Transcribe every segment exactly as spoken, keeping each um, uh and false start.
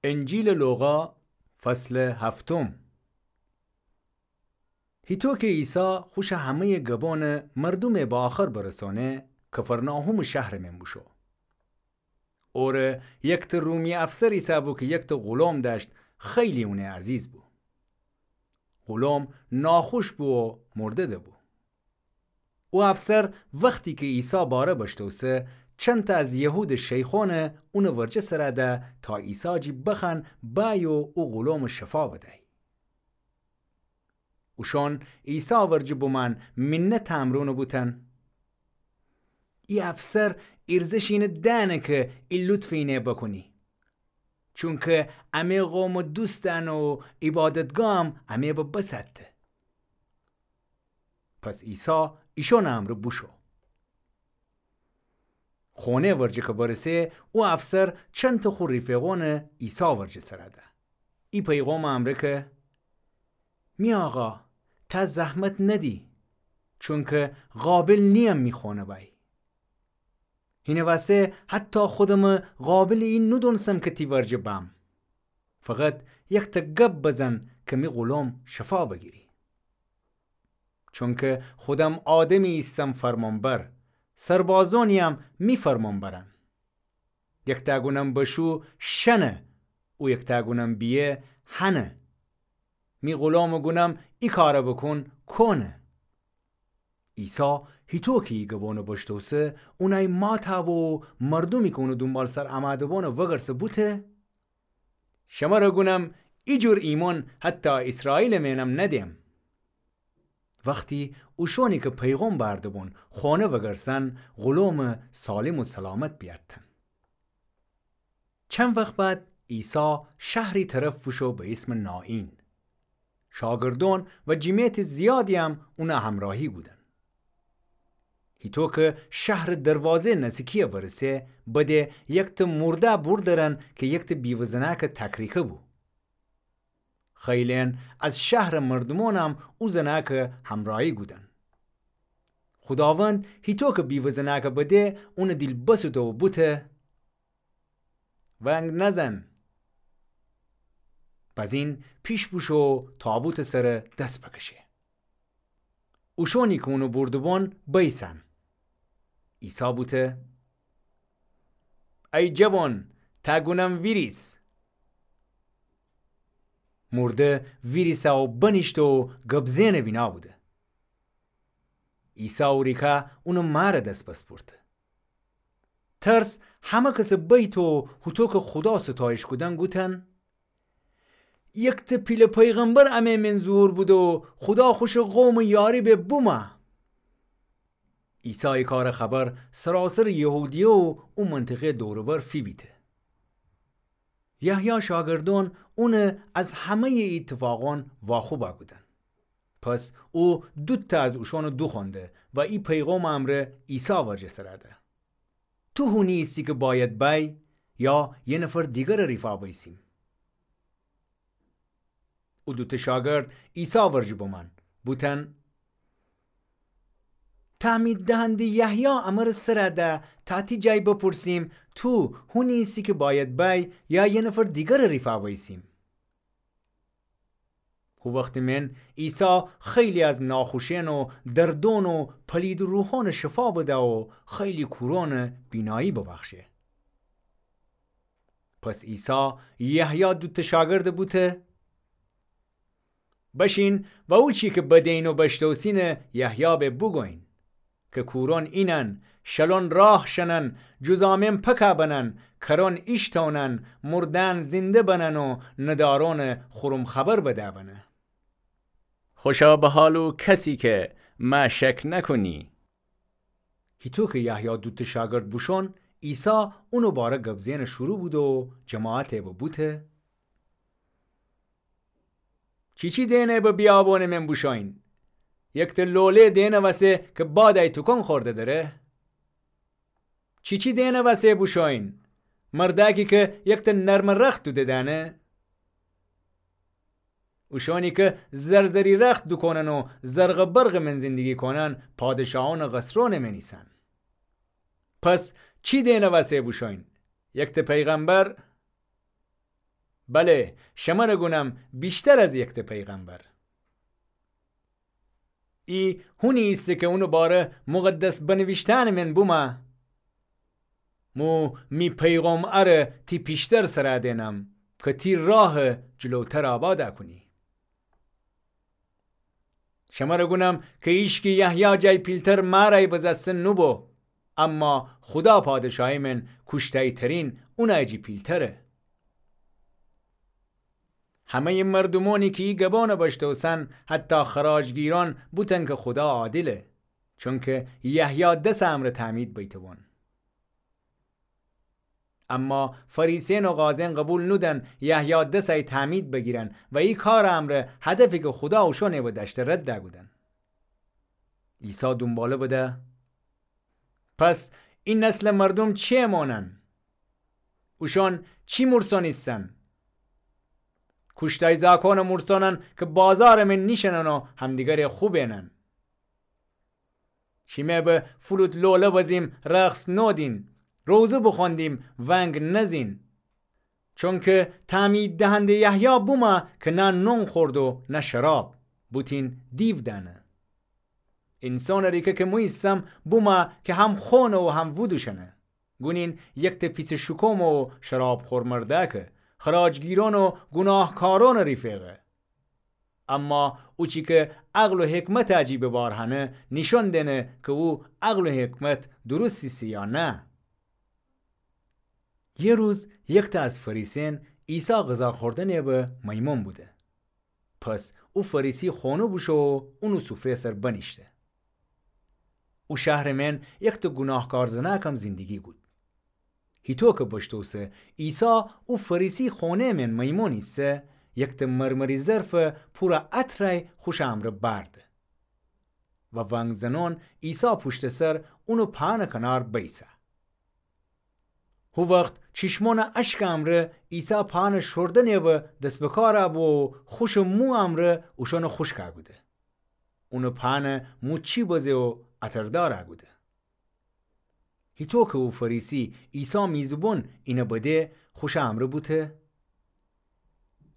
انجیلٚ لوقا، فصلٚ هفتم. هیطو کی عیسی خوشٚ همه‌یٚ گبانٚ مردومٚ به آخر برسأنه، کفرناحومٚ شهرٚ مئن بوشو. اوره یکته رومی افسر ایسه‌بو کی یکته غلام دأشت، خیلی اونه عزیز بو. غلام ناخوش بو و مرده دبو. او افسر وختی کی عیسی باره بشتوسه، چندتأ از یهودٚ شیخأنه اونٚ ورجه سرَ ده تا عیسی جی بخوأن بأی و او غلامٚ شفا بدأی. اوشأن عیسی ورجه بومأن، مینت امرونٚ بوتن: ای افسر ایرزش اینه دأنه کی ای لطفٚ اینه بوکونی، چونکی امه قومٚ دوستأن و عبادتگاهم امه به بسطه. پس عیسی ایشأنٚ امرأ بوشو. خانه ورجه کی برسه، او افسر چندتأ خو ریفقأنه عیسی ورجه سرَ ده، ای پیغامٚ امرأ کی: می آقا، تا زحمت ندی، چونکی قابل نییم می خانه بأی. هینٚ وسه حتی خودمه قابلٚ ای ندونسم کی تی ورجه بم. فقط یکتأ گب بزن کی می غلام شفا بگیری. چونکی خودم آدمی ایسم فرمانبر، سربازأنییم می فرمان برن. یکتأ گونم بشو شنه، او یکتأ گونم بیه هنه. می غلامٚ گونم ای کاره بوکون کونه. عیسی هیطو کی ای گبانٚ بشتوسه، اونأی ماتأ بو و مردومی کی اونٚ دونبالسر امأده‌بانٚ وگرسه بوته: شمره گونم، ایجور ایمأن حتی ایسرائیلٚ مئنم ندئم. وختی اوشأنی کی پیغام بأرده‌بون خانه وگرسن، غلام سالم و سلامت بیأرتن. چند وخت بعد عیسی شهری طرف بوشو به ایسمٚ نائین. شاگردأن و جیمیتٚ زیادییم اونٚ همراهی کودن. هیطو کی شهرٚ دروازه نزیکی‌یه برسه، بده یکتٚ مورده بوردرن کی یکتٚ بیوه زنأکٚ تکریکه بو. خیلئن از شهرٚ مردومأنم او زنأکٚ همراهی کودن. خوداوند هیطو کی بیوه زنأکٚ بده، اونٚ دیل بسوته و بوته: ونگ نزن. بزین پیش بوشو و تابوتٚ سر دس بکشه. اوشأنی کی اونٚ بورده‌بون بیسن. عیسی بوته: ای جوان، تأ گونم ویریس. مورده ویریسه و بنیشته و گبزئنٚ بینا بوده. عیسی اوریکه اونٚ مأرٚ دس بسپورته. ترس همه کسٚ بیت و هوطو کی خودا ستایش کودن گوتن: یکتٚ پیله پیغمبر امه مئن ظهور بوده و خودا خوشٚ قومٚ یاری به بومه. عیسی ای کارٚ خبر سراسرٚ یهودیه و او منطقه دور و بر فیبیته. یحیی شاگردأن اون از همه‌یٚ ای ایتفاقأن واخوبه کودن. پس او دوتأ از اوشأنٚ دوخوأنده و ای پیغامٚ امرأ عیسی ورجه سرده: تو هونی ایسی کی بأید بأی یا یه نفر دیگرٚ ریفا بیسیم؟ او دوتأ شاگرد عیسی ورجه بومأن، بوتن: تعمید دهنده یحیی امرأ سرده تا تی جای بپرسیم، تو هونی ایسی کی بأید بأی یا یه نفر دیگرٚ ریفا بیسیم؟ هو وختٚ مئن عیسی خیلی از ناخوشئن و دردأن و پلیدٚ روحأنٚ شفا بده و خیلی کورأنٚ بینایی ببخشه. پس عیسی یحیی دوتأ شاگردٚ بوته: بشین و او چی کی بدئین و بشتوسینٚ یحیی به بوگوین، کی کورأن اینن، شلأن راه شنن، جذامئن پکه بنن، کرأن ایشتأونن، مردأن زنده بنن و ندارأنٚ خورم خبر بده بنه. خوشا به حال او کسی کی مه شک نکونی. هیطو کی یحیی دوتأ شاگرد بوشون، عیسی اونٚ باره گبزئنٚ شروع بوده و جماعته به بوته: چیچی دئنه به بیابونٚ مئن بوشوین؟ یکتأ لوله دئنه وسه کی بادی توکون خورده دره؟ چیچی دئنه وسه بوشوین؟ مردأکی کی یکتأ نرمٚ رخت دوده دأنه؟ اوشأنی کی زرزری رخت دوکونن و زرق و برقٚ مئن زندگی کونن، پادشاهأنٚ قصرأنٚ مئن ایسن. پس چی دئنه وسه بوشوین؟ یکتأ پیغمبر؟ بله، شمر گونم ویشتر از یکته پیغمبر. ای هونی ایسه کی اونٚ باره مقدس بنویشتأنٚ مئن بومه: مو می پیغام اره تی پیشتر سرا دئنم کی تی راه جلوتر آباد کونی. شمر گونم کی ایشکی یحیی جای پیلتر مارای بزسته نوبو، اما خودا پادشاهی مئن کوشتایترین اونای جی پیلتره. همه‌یٚ مردومأنی کی ای گبأن بشتوسن، حتی خراجگیرأن، بوتن کی خودا عادله، چونکی یحیی دسٚ امرأ تعمید بیته‌بون. اما فریسیأن و قاضیأن قوبیل نودن یحیی دسٚ ای تعمید بگیرن و ای کارٚ امرأ هدفی کی خودا اوشأنٚ بو دأشته رد کودن. عیسی دونباله بده: پس ای نسلٚ مردوم چی مانن؟ اوشأن چی مورسأن ایسن؟ کوشتای زاکانٚ مورسأنن کی بازارٚ مئن نیشینن و همدیگره خو بینن. شیمه به فلوت لوله بزیم رقص نودین، روزه بخوأندیم ونگ نزین. چونکی تعمید دهنده یحیی بومه کی نه نون خورد و نه شراب، بوتین دیو دأنه. اینسانٚ ریکه کی مو ایسم بومه کی هم خونه و هم وودوشنه. گونین یکته پیسٚ شوکومه و شرابخور مردأکه، خراجگیرأن و گوناهکارأنٚ ریفیقه. اما اوچی کی عقل و حکمتٚ جی به بار هنه، نیشأن دئنه کی او عقل و حکمت درست ایسه یا نه. یه روز یکته از فریسیأن عیسی غذا خوردنٚ به میمون بوده. پس او فریسی خونه بوشو و اونٚ سفره سر بنیشته. او شهرٚ مئن یکته گوناهکار زنأکم زندگی کود. هیطو کی بشتوسه عیسی او فریسی خونه‌یٚ مئن میمون ایسه، یکته مرمری ظرف پورٚ عطرای خوشٚ امرأ بأرده و ونگ زنأن عیسی پوشتٚ سر اونٚ پانٚ کنار بیسه. هو وخت چیشمأنٚ اشکٚ امرأ عیسی پانٚ شوردنٚ به دس به کار بو و خوشٚ مو امرأ اوشأنٚ خوشک کوده. اونٚ پانٚ مو چی بزه و عطردار کوده. هیطو کی او فریسی عیسی میزبون اینه بده، خوشٚ امرأ بوته: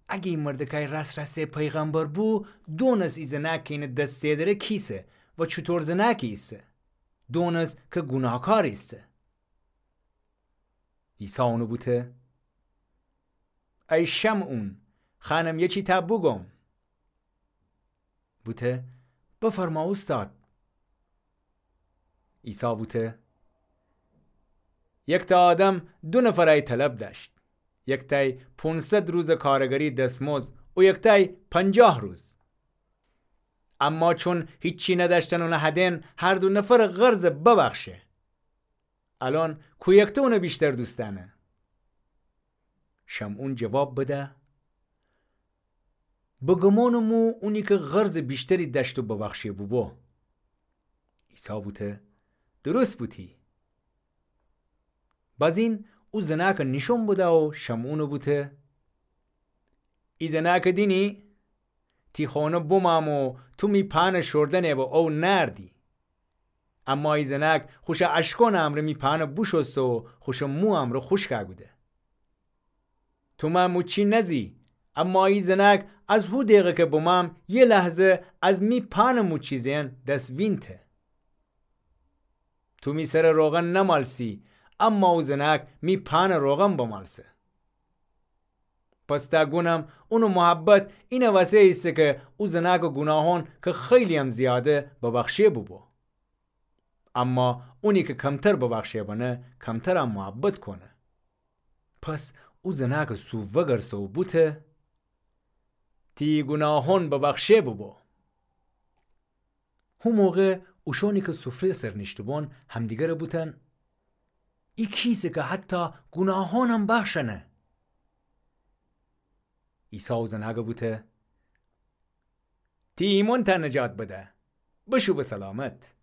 اگه ای مردکای راست راسته پیغمبر بو، دونست ای زنأک کی اینٚ دس سئدره کیسه و چوطور زنأکی ایسه. دونست کی گوناهکار ایسه. عیسی اونٚ بوته: ای شمعون، خوأنم یه چی تا بوگوم. بوته: بفرما اوستاد. عیسی بوته: یکته آدم دو نفرای طلب دأشت. یکتای پونصد روزٚ کارگری دسمزد و یکتای پنجاه روز. اما چون هیچی ندأشتن اون هدئن، هر دو نفرٚ قرض ببخشه. الأن کویکته اونٚ ویشتر دوست دأنه؟ شمعون جواب بده: به گمانٚ مو اونی کی قرضٚ ویشتری دأشت و ببخشه بوبو. عیسی بوته: درست بوتی. بازین او زنأکٚ نیشأن بده و شمعونٚ بوته: ای زنأکٚ دینی؟ تی خونه بومأم و تو می پأنٚ شوردنٚ به او نأردی. اما ای زنأک خوشٚ اشکأنٚ امرأ می پأنٚ بوشوسته و خوشٚ مو امرأ خوشک کوده. تو مأ موچی نزی، اما ای زنأک از هو دقه کی بومأم، یه لحظه از می پأنٚ موچی زئن دس وینته. تو می سرٚ روغن نمالسی، اما او زنأک می پأنٚ روغن بمالسه. پس تا گونم اونٚ محبت اینٚ وسه ایسه کی او زنأکٚ گوناهأن کی خیلی‌یم زیاده، ببخشه بوبو. اما اونی کی کمتر ببخشه بنه، کمترم محبت کونه. پس او زنأکٚ سو وگرسه و بوته: تی گوناهأن ببخشه بوبو. هو موقع اوشأنی کی سفره سر نیشته‌بون همدیگره بوتن: ای کیسه کی حتی گوناهأنم بخشنه. عیسی او زنأکه بوته: تی ایمأن تا نجات بده، بشو به سلامت.